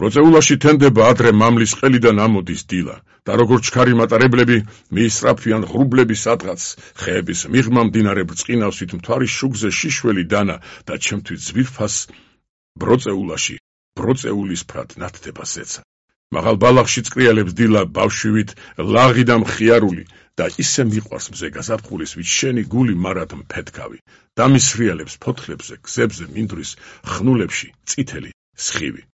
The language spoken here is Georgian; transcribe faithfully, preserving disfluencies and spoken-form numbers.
ბროწეულაში თენდება ადრე მამლის ყელიდან ამოდის დილა და როგორც ჩქარი მატარებლები მიისწრაფვიან ღრუბლების სადღაც ხეების მიღმა მდინარე ბრწყინავსით მთვარის შუგზე შიშველი დანა და ჩემთვის ძვირფას ბროწეულაში ბროწეულის ფრად ნათდება ზეცა მაღალ ბალახში წკრიალებს დილა ბავშვივით ლაღი და მხიარული და ისე მიყვარს მზე გაზაფხულის ვით შენი გული მარად მფეთქავი და მისრიალებს ფოთლებზე გზებზე მინდვრის ხნულებში წითელი სხივი